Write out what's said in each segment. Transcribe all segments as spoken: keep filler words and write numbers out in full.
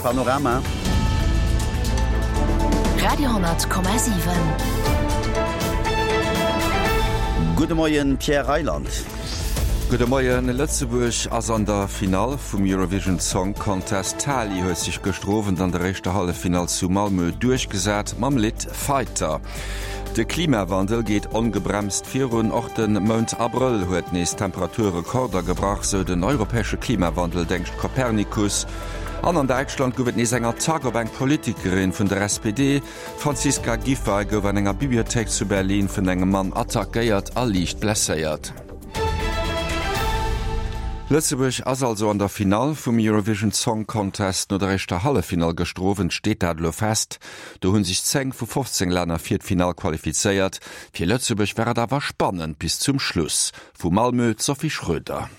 Panorama. Radio honnert Komma siwen. Gudde Moien, Pierre Reyland. Gudde Moien. Lëtzebuerg ass an der Finall vum Eurovision Song Contest. D'Tali huet sech gëschter Owend an der éischter Halleffinall zu Malmö duerchgesat mam Lidd Fighter. De Klimawandel geet ongebremst virun, och de Mount Abrëll huet nees Temperaturrekorder gebrach, sou den europäesche Klimawandeldéngscht Copernicus. An an Däitschland gouf et nees eng Attack op eng Politikerin vun der S P D. D'Franziska Giffey gouf an enger Bibliothéik zu Berlin vun engem Mann attackéiert a liicht blesséiert. Lëtzebuerg ass also an der Finall vum Eurovision Song Contest. No der éischter Halleffinall gëschter Owend steet dat elo fest. Do hunn sech zéng vu fofzéng Länner fir d'Finall qualifizéiert. Fir Lëtzebuerg war et awer spannend bis zum Schluss. Vu Malmö d'Sophie Schröder.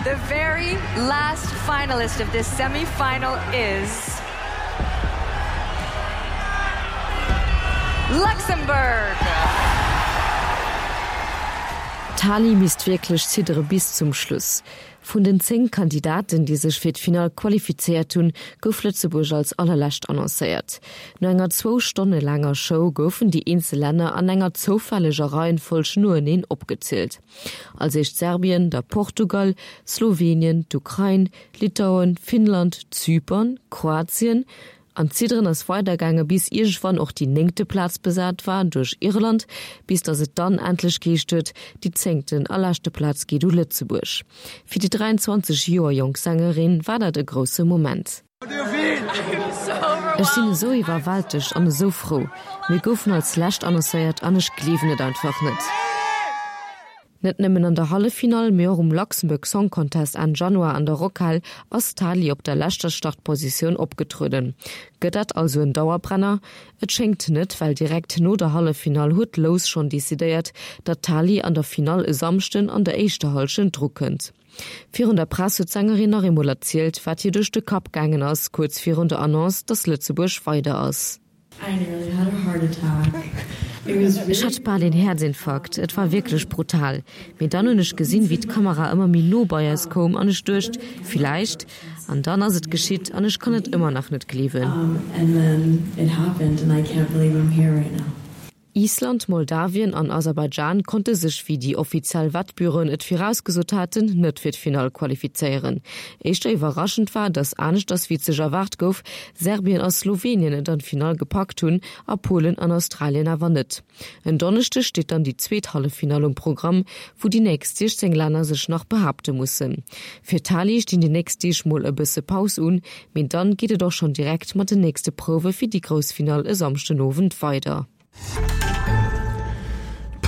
The very last finalist of this semi-final is Luxembourg. D'Tali misst wierklech ziddere bis zum Schluss. Vun den zéng Kandidaten, déi sech fir d'Finall qualifizéiert hunn, gouf Lëtzebuerg als allerlescht annoncéiert. No enger zwou Stonne laanger Show goufen déi eenzel Länner an enger zoufälleger Reihenfolg noeneen opgezielt. Als éischt Serbien, da Portugal, Slowenien, d'Ukrain, Litauen, Finnland, Zypern, Kroatien, An d'Zidderen ass weidergaange bis iergendwann och déi néngte Plaz besat war duerch Irland, bis datt et dann endlech geheescht huet, déi zéngten a leschte Plaz geet u Lëtzebuerg. Fir déi dräianzwanzeg Joer jonk Sängerin war dat e grousse Moment. Ech sinn esou iwwerwältegt an esou frou. Mir goufen als lescht annoncéiert an ech gleewen et einfach net. Net nëmmen an der Halleffinall, mee och um Luxembourg Song Contest Enn Januar an der Rockhal ass d'Tali op der leschter Startpositioun opgetrueden. Gëtt dat also en Dauerbrenner? Et schéngt net, well direkt no der Halleffinall huet d'Lous schonn decidéiert, datt d'Tali an der Finall e Samschden an der éischter Hallschent drukënnt. Virun der Press huet d'Sängerin nach eemol erzielt, wat hir duerch de Kapp gaangen ass, kuerz virun der Annonce, datt Lëtzebuerg weider ass. Ech hat bal een Häerzinfarkt, et war wierklech brutal. Mee dann hunn ech gesinn, wéi d'Kamera ëmmer méi no bei eis koum an ech duecht, villäicht. An dann ass et geschitt an ech kann et ëmmer nach net gleewen. Island, Moldawien an Aserbaidschan konnte sech, wéi déi offiziell Wettbüroen et virausgesot haten, net fir d'Finall qualifizéieren. Éischter iwwerraschend war, datt aneschters wéi et sech erwaart gouf, Serbien a Slowenien et an d'Finall gepackt hunn a Polen an Australien awer net. En Donneschdeg steet dann déi zweet Halleffinall um Programm, wou déi nächst siechzéng Länner sech nach behaapte mussen. Fir d'Tali stinn déi nächst Deeg mol e bësse Paus un, mee dann geet et och schonn direkt mat den nächste Prouwe fir déi grouss Finall e Samschdenowend weider.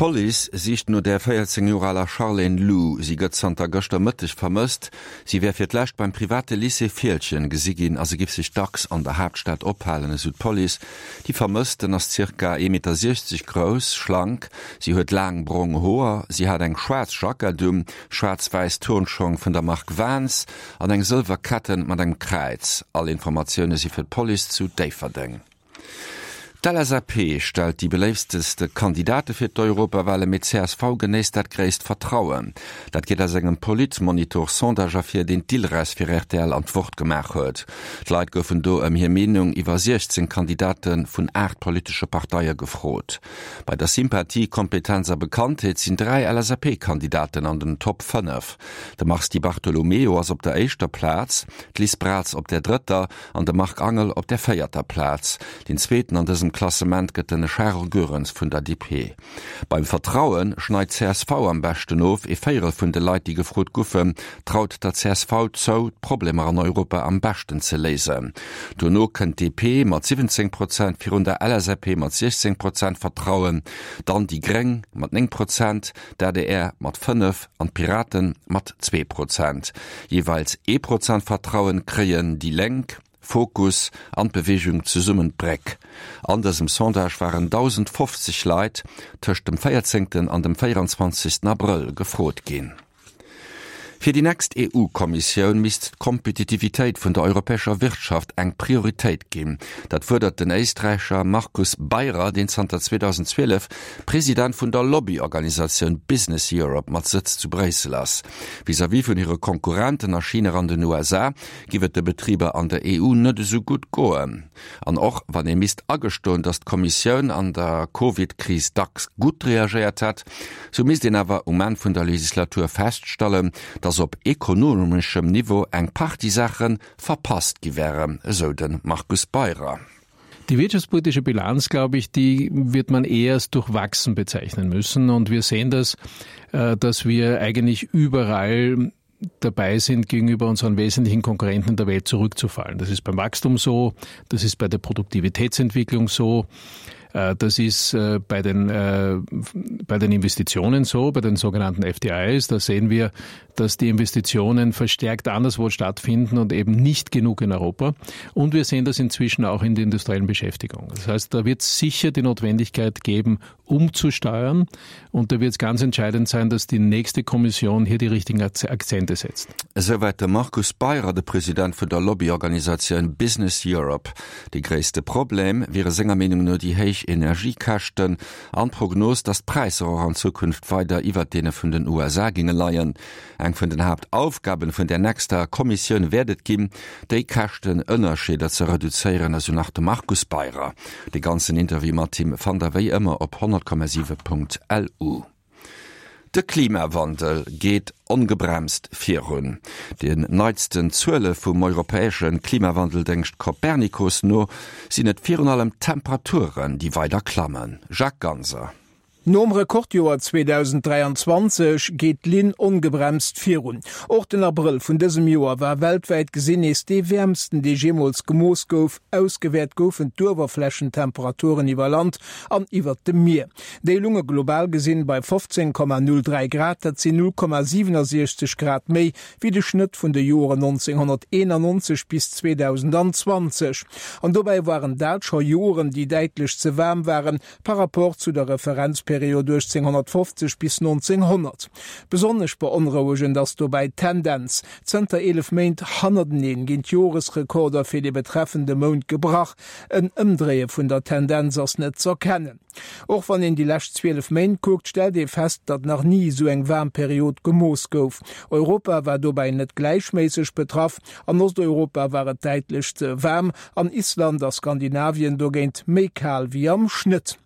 D'Police sicht no der véierzéng Joer aler Charlene Lou. Si gëtt zanter gëschter Mëtteg vermësst. Si wär fir d'lescht beim private Lycée Fieldgen gesi ginn a se giff sech dacks an der Haaptstad ophalen, esou d'Police. Déi Vermëssten ass zirka ee Meter siechzeg grouss, schlank. Si huet laang brong Hoer. Si hat eng schwaarz Jackett un, schwaarz-wäiss Turnschong vun der Mark Vans an eng sëlwer Ketten mat engem Kräiz. All Informatioune si fir d'Police zu Déifferdeng. D'L S A P stellt déi beléifteste Kandidate fir d'Europawale, mee d'C S V genéisst dat gréisst Vertrauen. Dat geet aus engem Politmonitor-Sondage ervir, deen d'Ilres fir R T L an d'Wort gemaach huet. D'Leit goufen do ëm hir Meenung iwwer siechzéng Kandidate vun aacht politesche Parteie gefrot. Bei der Sympathie, Kompetenz a Bekanntheet sinn dräi L S A P-Kandidaten an den Top fënnef. De Mars Di Bartolomeo ass op der éischter Plaz, d'Liz Braz op der drëtter an de Marc Angel op der véierter Plaz. Deen zweeten an dësem Klassement gëtt den Charles Goerens vun der D P. Beim Vertraue schneit d'C S V am beschten of, ee Véierel vun de Leit, déi gefrot goufen, traut der C S V zou, d'Problemer an Europa am beschten ze léisen. Dono kënnt d'D P mat siwwenzéng Prozent, virun der L S A P mat siechzéng Prozent Vertrauen, dann déi Gréng mat néng Prozent, d'A D R mat fënnef an d'Piraten mat zwee Prozent. Jeeweils ee Prozent Vertrauen kréien déi Lénk, Fokus an d'Beweegung Zesummen d'Bréck. An dësem Sondage waren dausendfofzeg Leit tëscht dem véierzéngten an dem véieranzwanzegsten Abrëll gefrot ginn. Fir déi nächst EU-Kommissioun misst d'Kompetitivitéit vun der europäescher Wirtschaft eng Prioritéit ginn. Dat fuerdert den Éisträicher Markus Beyrer, deen zanter zweedausendzwielef President vun der Lobbyorganisatioun Business Europe mat Sëtz zu Bréissel ass. Vis-à-vis vun hire Konkurrenten a China an den U S A giff et de Betriber an der E U net esou gutt goen. An och wann ee misst agestoen, datt d'Kommissioun an der Covid-Kris dacks gutt reagéiert hätt, sou misst een awer um Enn vun der Legislatur feststallen, datt op ekonomeschem Niveau eng Partie Saache verpasst gi wären, esou de Markus Beyrer. Die wirtschaftspolitische Bilanz, glaube ich, die wird man eher als durchwachsen bezeichnen müssen. Und wir sehen das, äh, dass wir eigentlich überall dabei sind, gegenüber unseren wesentlichen Konkurrenten in der Welt zurückzufallen. Das ist beim Wachstum so, das ist bei der Produktivitätsentwicklung so. Äh, das ist äh, bei den, äh, bei den Investitionen so, bei den sogenannten F D Is. Da sehen wir, dass die Investitionen verstärkt anderswo stattfinden und eben nicht genug in Europa. Und wir sehen das inzwischen auch in der industriellen Beschäftigung. Das heißt, da wird es sicher die Notwendigkeit geben, umzusteuern. Und da wird es ganz entscheidend sein, dass die nächste Kommission hier die richtigen Akzente setzt. Esouwäit de Markus Beyrer, de President vun der Lobbyorganisatioun Business Europe. De gréisste Problem wiere senger Meenung no déi héich Energiekäschten an d'Prognos, datt d'Präisser och an Zukunft weider iwwer deene vun den U S A géinge leien. Eng vun den Haaptaufgaben vun der nächster Kommissioun wäert et ginn, déi Käschtenënnerscheeder ze reduzéieren, esou nach de Markus Beyrer. De ganzen Interview mat him fannt der wéi ëmmer op honnert Komma siwe Punkt L U. De Klimawandel geet ongebremst virun. Den neitsten Zuele vum europäesche Klimawandeldéngscht Copernicus no sinn et virun allem d'Temperaturen, déi weider klammen. Jacques Ganser. Nom Rekordjoer zweedausenddräianzwanzeg geet d'Linn ongebremst virun. Och den Abrëll vun dësem Joer war weltwäit gesinn nees dee wäermsten, dee jeemools gemooss gouf. Ausgewäert goufen d'Uewerflächentemperaturen iwwer Land an iwwer dem Mier. Déi lounge global gesinn bei fofzéng Komma null dräi Grad, dat sinn null Komma siwenundsechzeg Grad méi wéi de Schnëtt vun de Joren nonzénghonnerteenannonzeg bis zweedausendzwanzeg. An dobäi waren dat scho Joren, déi däitlech ze waarm waren par rapport zu der Referenzperiod uechtzénghonnertfofzeg bis nonzénghonnert. Besonnesch beonrouegend ass dobäi d'Tendenz. Zënter eelef Méint hannerteneen ginn d'Joresrekorder fir de betreffende Mount gebrach. En Ëmdréie vun der Tendenz ass net z'erkennen. Och wann een déi lescht zwielef Méint kuckt, stellt ee fest, datt nach ni esou eng waarm Period gemooss gouf. Europa war dobäi net gläichméisseg betraff, an Osteuropa war et däitlech ze waarm, an Island a Skandinavien dogéint méi kal wéi am Schnëtt.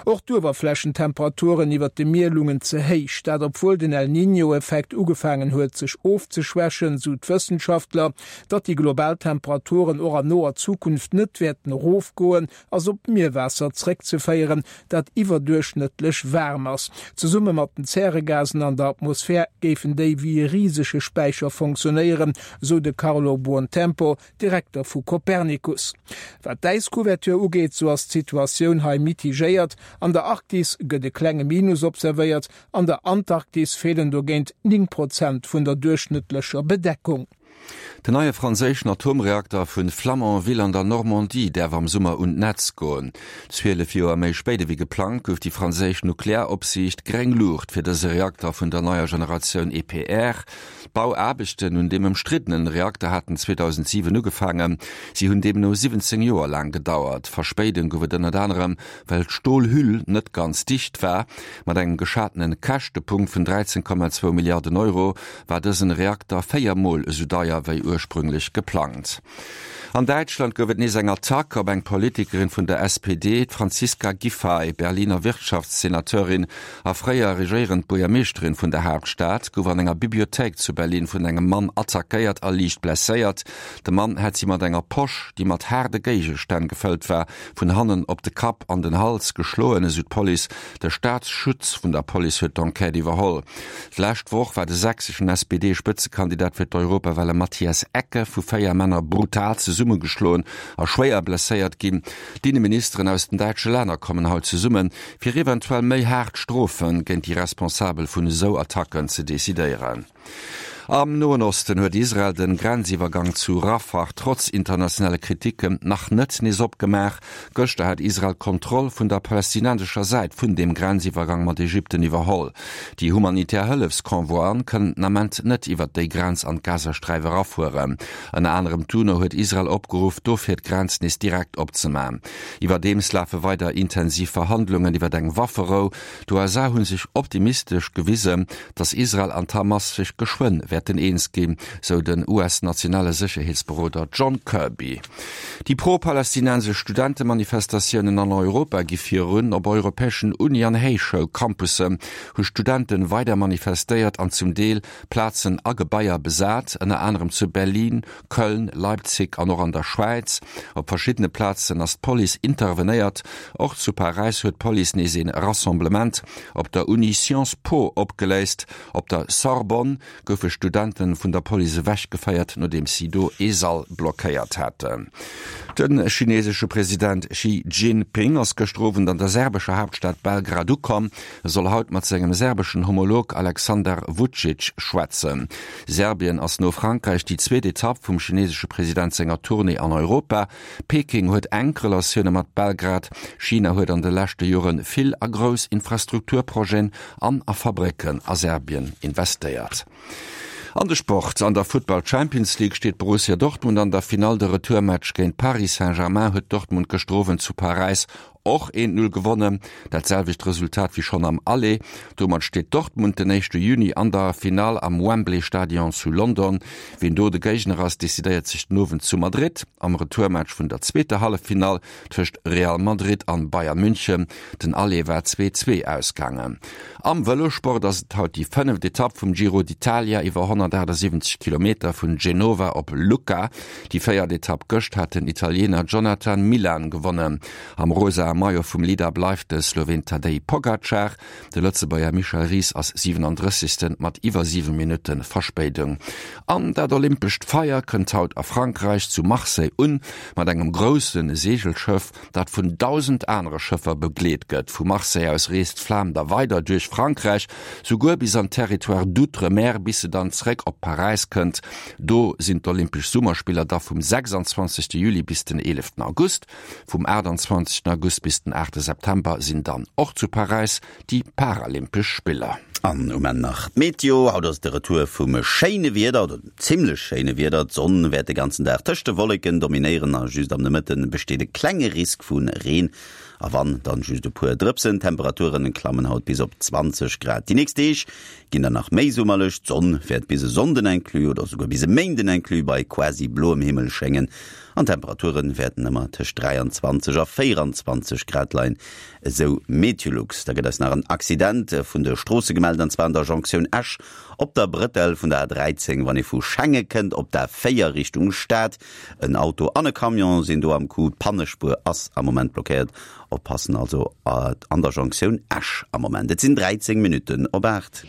Och d'Uewerflächentemperaturen iwwer dem Mier loungen ze héich, dat obwuel den El Niño-Effekt ugefaangen huet sech ofzeschwächen, sou d'Wëssenschaftler. Datt déi global Temperaturen och an noer Zukunft net wäerten erofgoen, ass op d'Mierwaasser zréckzeféieren, dat iwwerduerchschnëttlech waarm ass. Zesumme mat den Zäregasen an der Atmosphär géifen déi wéi e risege Späicher funktionéieren, sou de Carlo Buontempo, Direkter vu Copernicus. Wat d'Äiscouverture ugeet, sou ass d'Situatioun hei mitigéiert. An der Arktis gëtt e klenge Minus observéiert, an der Antarktis feelen dogéint néng Prozent vun der duerchschnëttlecher Bedeckung. Den neie franséischen Atomreakter vun Flamanville an der Normandie däerf am Summer un d'Netz goen. Zwielef Joer méi spéit ewéi geplangt gouf déi franséisch Nuklearopsiicht gréng Luucht fir dëse Reakter vun der neier Generatioun E P R. D'Bauaarbechten un deem ëmstriddene Reakter haten zweedausentsiwen ugefaangen. Si hunn deemno siwwenzéng Joer laang gedauert. Verspéidung gouf et ënnert anerem, well d'Stolhüll net ganz dicht war. Mat engem geschatene Käschtepunkt vun dräizéng Komma zwou Milliarden Euro war dësen Reakter véier Mol esou deier wéi ursprünglech geplangt. An Däitschland gouf et nees eng Attack op eng Politikerin vun der S P D, d'Franziska Giffey, Berliner Wirtschaftssenateurin a fréier regéierend Buergermeeschterin vun der Haaptstad, gouf an enger Bibliothéik zu Berlin vun engem Mann attackéiert a liicht blesséiert. De Mann hätt si mat enger Posch, déi mat haarde Géigestänn gefëllt war, vun hannen op de Kapp an den Hals geschloen, esou d'Police. De Staatsschutz vun der Police huet d'Enquête iwwerholl. D'lescht Woch war de sächseschen S P D-Spëtzekandidat fir d'Europawale Matthias Ecke vu véier Männer brutal zesummegeschloen a schwéier blesséiert ginn. D'Inneministeren aus den däitsche Länner kommen haut zesummen, fir eventuell méi haart Strofe géint déi Responsabel vun esou Attacken ze decidéieren. Am Noen Osten huet Israel den Grenziwwergang zu Rafah trotz internationale Kriticken nach net nees opgemaach. Gëschter hat Israel d'Kontroll vun der palästinensescher Säit vun deem Grenziwwergang mat Ägypten iwwerholl. Déi humanitär Hëllefsconvoien kënnen den Ament net iwwert déi Grenz an d'Gazasträif erafueren. Ënner anerem d'UNO huet Israel opgeruff, dofir d'Grenz nees direkt opzemaachen. Iwwerdeems lafe weider intensiv Verhandlungen iwwert eng Wafferou. D'USA hu sech optimistesch gewisen, datt Israel an d'Hamas sech geschwënn wäerten eens ginn, sou den US-nationale Sécherheetsberoder John Kirby. Déi pro-palästinensesch Studentemanifestatiounen an Europa gi virun. Op europäeschen Uni an Héichschoulcampussen hu Studente weider manifestéiert an zum Deel Plazen a Gebaier besat, ënner anerem zu Berlin, Köln, Leipzig an och an der Schwäiz. Op verschiddene Plazen ass d'Police intervenéiert. Och zu Paräis huet d'Police nees ee Rassemblement op der Uni Sciences Po opgeléist. Op der Sorbonne goufe Studente vun der Police ewechgeféiert, nodeems si do ee Sall blockéiert haten. De chinesesche President Xi Jinping ass gëschter Owend an der serbescher Haaptstad Belgrad ukomm. E soll haut mat sengem serbeschen Homolog Aleksandar Vucic schwätzen. Serbien ass no Frankräich déi zweet Etapp vum chinesesche President senger Tournée an Europa. Peking huet enk Relatioune mat Belgrad. China huet an de leschte Jore vill a grouss Infrastrukturprojeten an a Fabrécken a Serbien investéiert. An de Sport, An der Futtball Champions League steet Borussia Dortmund an der Finall. De Retourmatch géint Paris Saint-Germain huet Dortmund gëschter Owend zu Paräis och een Null gewonnen, dat selwecht Resultat wéi schonn am Aller. Domat steet Dortmund den éischte Juni an der Finall am Wembley Stadion zu London. Wien do de Géigner ass, decidéiert sech den Owend zu Madrid am Retourmatch vun der zweeter Halleffinall tëscht Real Madrid an Bayern München. Den Aller war zwee zwee ausgaangen. Am Vëlossport ass et haut déi fënneft Etapp vum Giro d'Italia iwwer honnertaachtsiwwenzeg Kilometer vun Genova op Lucca. Déi véiert Etapp gëscht hat den Italiener Jonathan Milan gewonnen. Am rosae Maillot vum Leader bleift de Sloween Tadej Pogacar. De Lëtzebuerger Michel Ries ass siwenandrëssegsten mat iwwer siwe Minutte Verspéidung. An dat olympescht Feier kënnt haut a Frankräich zu Marseille un, mat engem grousse Seegelschëff, dat vun dausend anere Schëffer begleet gëtt. Vu Marseille aus reest d'Flam da weider duerch Frankräich, souguer bis an d'Territoires d'outre-mer, bis se dann zeréck op Paräis kënnt. Do sinn d'Olympesch Summerspiller da vum sechsandzwanzegste Juli bis den eeleften August. Vum aachtandzwanzegsten August bis den aachte September sinn dann och zu Paräis déi Paralympesch Spiller. An um Enn nach d'Meteo, Haut ass de Retour vum schéine Wieder, oder zimmlech schéine Wieder. D'Sonn wäert de ganzen Dag tëscht de Wolleken dominéieren a just am Nomëtte besteet e klenge Risk vu Reen, a wann, dann just e puer Drëpsen. D'Temperature klammen haut bis op zwanzeg Grad. Déi nächst Deeg ginn dann nach méi summerlech, d'Sonn wäert bis e Sonnden inclus oder souguer bis e Méinden inclus bei quasi bloem Himmel schéngen an d'Temperature wäerten ëmmer tëscht dräianzwanzeg a véieranzwanzeg Grad leien, esou Meteolux. Da gëtt eis nach en Accident vun de Stroosse gemellt, an zwar an der Jonktioun Esch op der Brëttel vun der A dräizéng, wann ee vu Schengen kënnt, op der A véier Richtung Stad. En Auto an e Camion sinn do am Coup, d'Pannespuer ass am Moment blockéiert. Oppassen also an der Jonktioun Esch am Moment. Et sinn dräizéng Minutten op aacht.